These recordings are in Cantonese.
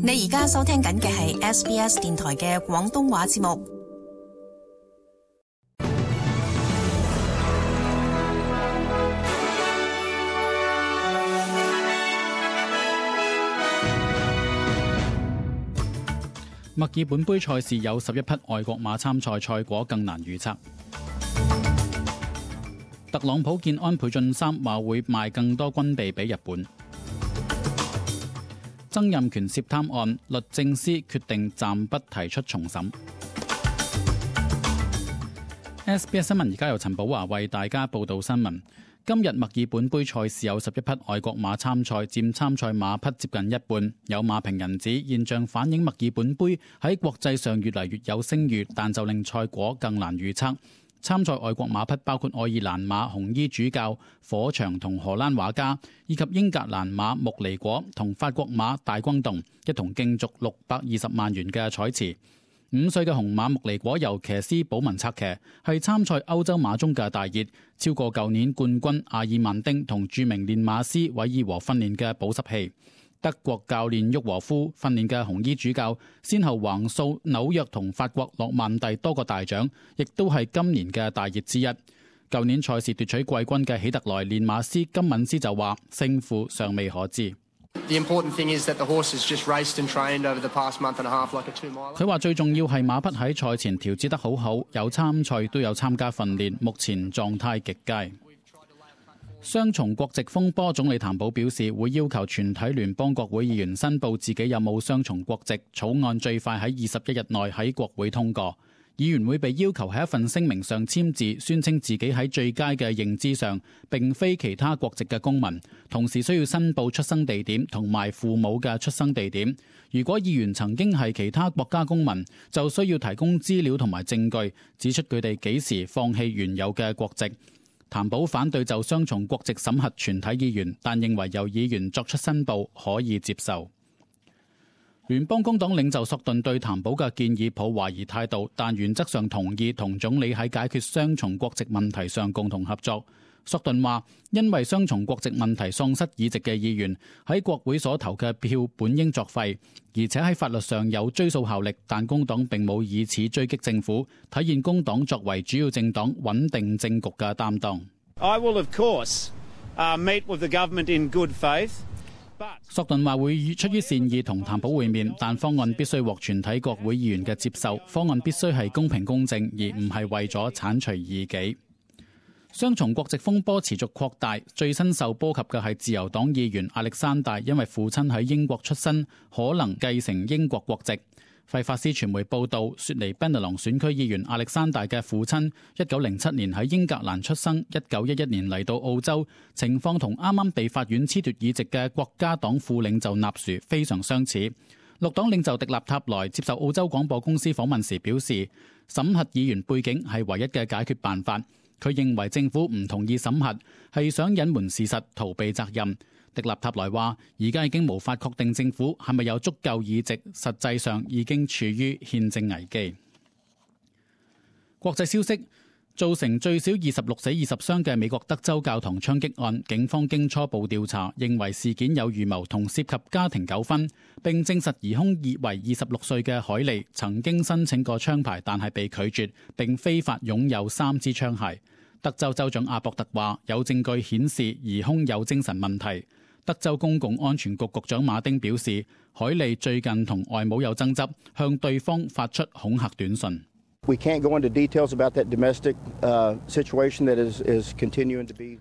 你而家收聽緊嘅係 SBS 電台嘅廣東話節目。墨爾本杯賽事有11匹外國馬參賽，賽果更難預測。特朗普見安倍晉三話會賣更多軍備俾日本。曾蔭權涉貪案，律政司決定暫不提出重審。SBS 新聞而家由陳寶華為大家報道新聞。今日墨爾本杯賽事有11匹外國馬參賽，佔參賽馬匹接近一半。有馬評人指現象反映墨爾本杯喺國際上越嚟越有聲譽，但就令賽果更難預測。參賽外國馬匹包括愛爾蘭馬紅衣主教火場同荷蘭畫家，以及英格蘭馬穆尼果同法國馬大轟動，一同競逐620萬元嘅彩池。5歲嘅紅馬穆尼果由騎師保文策騎，係參賽歐洲馬中嘅大熱，超過舊年冠軍阿爾曼丁同著名練馬師韋爾和訓練嘅保濕器。德國教練沃和夫訓練嘅紅衣主教，先後橫掃紐約同法國諾曼第多個大獎，亦都係今年嘅大熱之一。舊年賽事奪取季軍嘅喜特萊練馬師金敏斯就話，勝負尚未可知。佢話最重要係馬匹喺賽前調節得好好，有參賽都有參加訓練，目前狀態極佳。雙重國籍風波，總理譚寶表示會要求全體聯邦國會議員申報自己有冇雙重國籍，草案最快喺21日內喺國會通過。議員會被要求喺一份聲明上簽字，宣稱自己喺最佳嘅認知上並非其他國籍嘅公民，同時需要申報出生地點同埋父母嘅出生地點。如果議員曾經係其他國家公民，就需要提供資料同埋證據，指出佢哋幾時放棄原有嘅國籍。譚寶反對就雙重國籍審核全體議員，但認為由議員作出申報可以接受。聯邦工黨領袖索頓對譚寶嘅建議抱懷疑態度，但原則上同意同總理喺解決雙重國籍問題上共同合作。索頓話，因為雙重國籍問題喪失議席嘅議員喺國會所投嘅票本應作廢，而且喺法律上有追溯效力，但工黨並冇以此追擊政府，體現工黨作為主要政黨穩定政局嘅擔當。I will of course meet with the government in good faith. 索頓話會出於善意同譚寶會面，但方案必須獲全體國會議員嘅接受，方案必須係公平公正，而唔係為咗剷除異己。雙重國籍風波持續擴大，最新受波及嘅係自由黨議員亞歷山大，因為父親喺英國出身，可能繼承英國國籍。費法斯傳媒報道，雪梨賓特朗選區議員亞歷山大嘅父親1907年喺英格蘭出生，1911年嚟到澳洲，情況同啱啱被法院褫奪議席嘅國家黨副領袖納殊非常相似。綠黨領袖迪納塔萊接受澳洲廣播公司訪問時表示，審核議員背景係唯一嘅解決辦法。佢認為政府唔同意審核係想隱瞞事實，逃避責任。迪納塔萊話，而家已經無法確定政府係咪有足夠議席，實際上已經處於憲政危機。國際消息，造成最少26死20傷嘅美國德州教堂槍擊案，警方經初步調查，認為事件有預謀同涉及家庭糾紛，並證實疑兇為26歲嘅海利曾經申請過槍牌，但係被拒絕，並非法擁有3支槍械。德州州長阿博特話，有證據顯示疑兇有精神問題。德州公共安全局局長馬丁表示，海利最近同外母有爭執，向對方發出恐嚇短信。We can't go into details about that domestic situation that is continuing to be.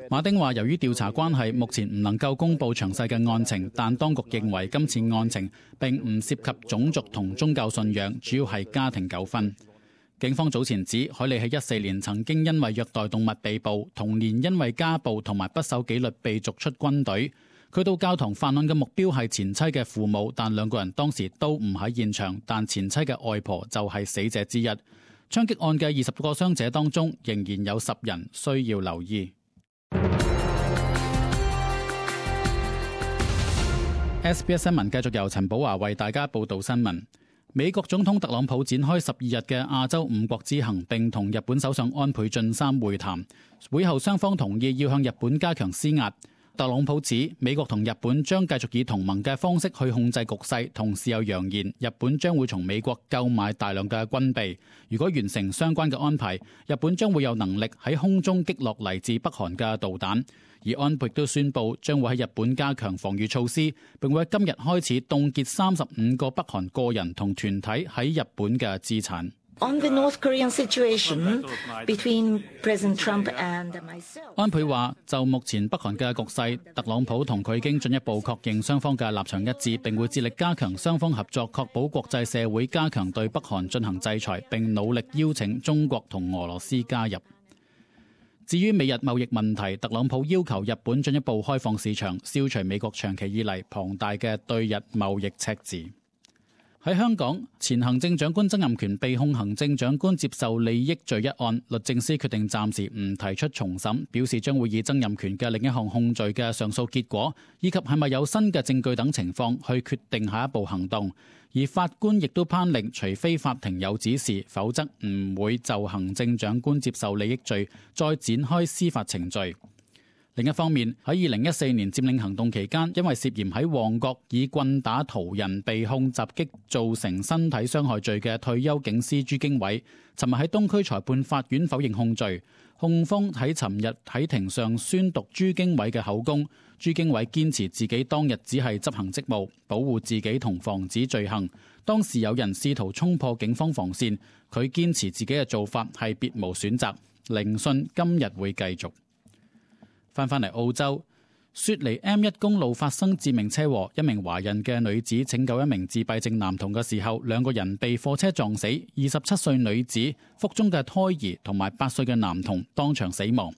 馬丁話，由於調查關係，目前唔能夠公布詳細嘅案情，但當局認為今次案情並唔涉及種族同宗教信仰，主要係家庭糾紛。警方早前指，海利喺14年曾經因為虐待動物被捕，同年因為家暴同埋不守紀律被逐出軍隊。佢到教堂犯案嘅目標係前妻嘅父母，但兩個人當時都唔喺現場，但前妻嘅外婆就係死者之一。槍擊案嘅20個傷者當中，仍然有10人需要留醫。SBS 新聞繼續由陳寶華為大家報道新聞。美國總統特朗普展開12日嘅亞洲5國之行，並同日本首相安倍晉三會談。會後雙方同意要向日本加強施壓。特朗普指美國同日本將繼續以同盟嘅方式去控制局勢，同時又揚言日本將會從美國購買大量嘅軍備。如果完成相關嘅安排，日本將會有能力喺空中擊落嚟自北韓嘅導彈。而安倍亦都宣布將會喺日本加強防禦措施，並會喺今日開始凍結35個北韓個人同團體喺日本嘅資產。On the North Korean situation between President Trump and myself， 安倍話：就目前北韓嘅局勢，特朗普同佢已經進一步確認雙方嘅立場一致，並會致力加強雙方合作，確保國際社會加強對北韓進行制裁，並努力邀請中國同俄羅斯加入。至於美日貿易問題，特朗普要求日本進一步開放市場，消除美國長期以嚟龐大嘅對日貿易赤字。喺香港，前行政長官曾蔭權被控行政長官接受利益罪一案，律政司決定暫時唔提出重審，表示將會以曾蔭權嘅另一項控罪嘅上訴結果，以及係咪有新嘅證據等情況去決定下一步行動。而法官亦都頒令，除非法庭有指示，否則唔會就行政長官接受利益罪再展開司法程序。另一方面，喺2014年佔領行動期間，因為涉嫌喺旺角以棍打途人被控襲擊造成身體傷害罪嘅退休警司朱經緯，尋日喺東區裁判法院否認控罪。控方喺尋日喺庭上宣讀朱經緯嘅口供，朱經緯堅持自己當日只係執行職務，保護自己同防止罪行。當時有人試圖衝破警方防線，佢堅持自己嘅做法係別無選擇。聆訊今日會繼續。返嚟澳洲，雪梨 M1 公路發生致命車禍，一名懷孕嘅女子拯救一名自閉症男童嘅時候，兩個人被貨車撞死，27歲女子、腹中嘅胎兒同埋8歲嘅男童當場死亡。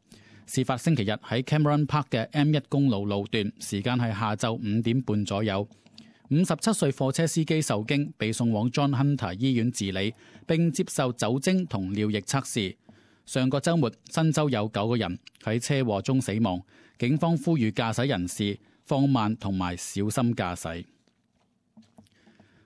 事發星期日喺 Cameron Park 嘅 M1 公路路段，時間係下晝5點半左右。57歲貨車司機受驚，被送往 John Hunter 醫院治理，並接受酒精同尿液測試。上個週末，新州有9個人喺車禍中死亡。警方呼籲駕駛人士放慢同埋小心駕駛。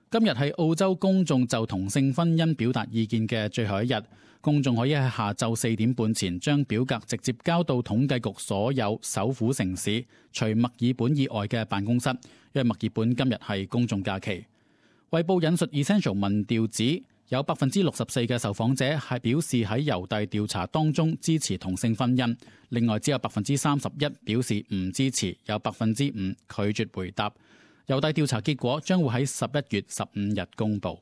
今日係澳洲公眾就同性婚姻表達意見嘅最後一日，公眾可以喺下晝4點半前將表格直接交到統計局所有首府城市，除墨爾本以外嘅辦公室，因為墨爾本今日係公眾假期。衛報引述 Essential 民調指，有64%嘅受訪者係表示喺郵遞調查當中支持同性婚姻，另外只有31%表示唔支持，有5%拒絕回答。郵遞調查結果將會喺11月15日公佈。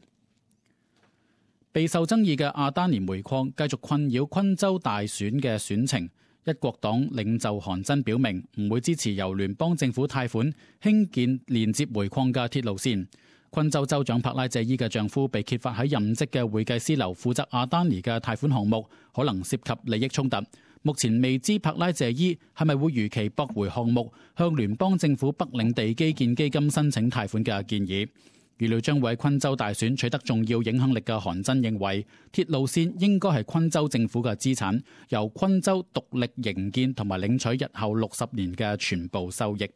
備受爭議嘅阿丹尼煤礦繼續困擾昆州大選嘅選情，一國黨領袖韓真表明唔會支持由聯邦政府貸款興建連接煤礦嘅鐵路線。昆州州長帕拉謝伊嘅丈夫被揭發喺任職嘅會計師樓負責阿丹尼嘅貸款項目，可能涉及利益衝突。目前未知帕拉謝伊係咪會如期駁回項目向聯邦政府北領地基建基金申請貸款嘅建議。預料將會喺昆州大選取得重要影響力嘅韓真認為，鐵路線應該係昆州政府嘅資產，由昆州獨立營建同埋領取日後60年嘅全部收益。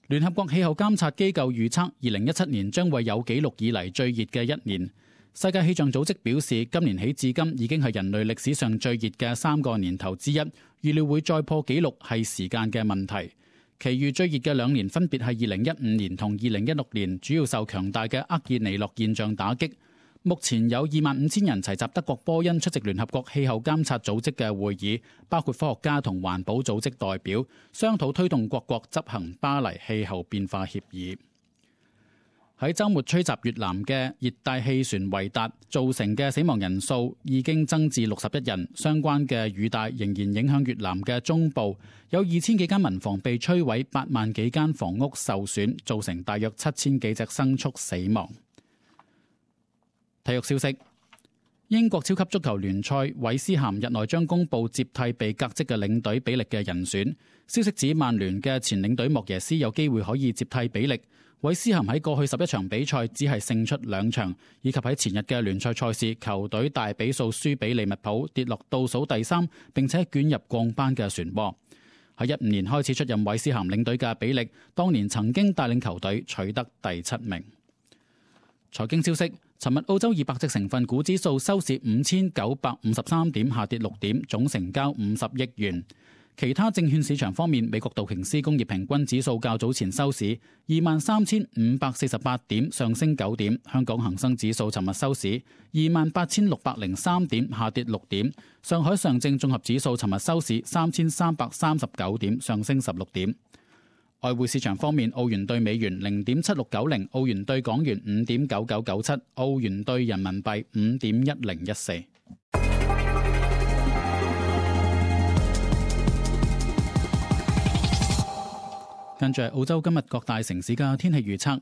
聯合國氣候監察機構預測，2017年將會有紀錄以嚟最熱嘅一年。世界氣象組織表示，今年起至今已經係人類歷史上最熱嘅3個年頭之一，預料會再破紀錄係時間嘅問題。其餘最熱嘅2年分別係2015年同2016年，主要受強大嘅厄爾尼諾現象打擊。目前有25,000人齊集德國波恩出席聯合國氣候監察組織嘅會議，包括科學家同環保組織代表，商討推動各國執行巴黎氣候變化協議。喺週末吹襲越南嘅熱帶氣旋維達造成嘅死亡人數已經增至61人，相關嘅雨帶仍然影響越南嘅中部，有2000幾間民房被摧毀，8萬幾間房屋受損，造成大約7000幾隻牲畜死亡。體育消息：英國超級足球聯賽韋斯咸日內將公布接替被革職嘅領隊比力嘅人選。消息指曼聯嘅前領隊莫耶斯有機會可以接替比力。韋斯咸喺過去11場比賽只係勝出2場，以及喺前日嘅聯賽賽事球隊大比數輸俾利物浦，跌落倒數第3，並且捲入降班嘅漩渦。喺15年開始出任韋斯咸領隊嘅比力，當年曾經帶領球隊取得第7名。財經消息：尋日澳洲200隻成分股指數收市5953點，下跌6點，總成交50億元。其他證券市場方面，美國道瓊斯工業平均指數較早前收市23,548點，上升9點；香港恒生指數尋日收市28,603點，下跌6點；上海上證綜合指數尋日收市3,339點，上升16點。外匯市場方面，澳元對美元0.7690，澳元對港元5.9997，澳元對人民幣5.1014。跟住澳洲今日各大城市嘅天氣預測：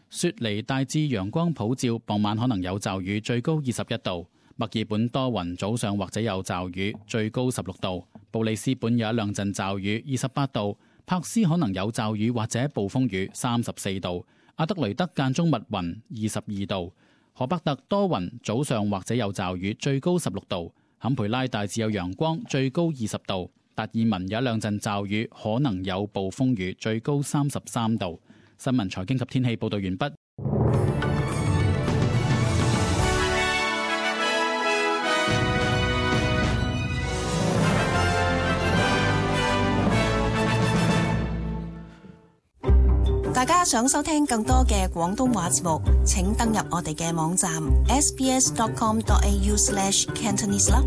雪梨大致陽光普照，傍晚可能有驟雨，最高21度；墨爾本多雲，早上或者有驟雨，最高16度；布里斯本有一兩陣驟雨，28度；珀斯可能有驟雨或者暴風雨，34度；阿德雷德間中密雲，22度；荷伯特多雲，早上或者有驟雨，最高16度；坎培拉大致有陽光，最高20度。達爾文有一兩陣驟雨，可能有暴風雨，最高33度。新聞財經及天氣報道完畢。大家想收聽更多嘅廣東話節目，請登入我哋嘅網站 sbs.com.au/cantonese 啦。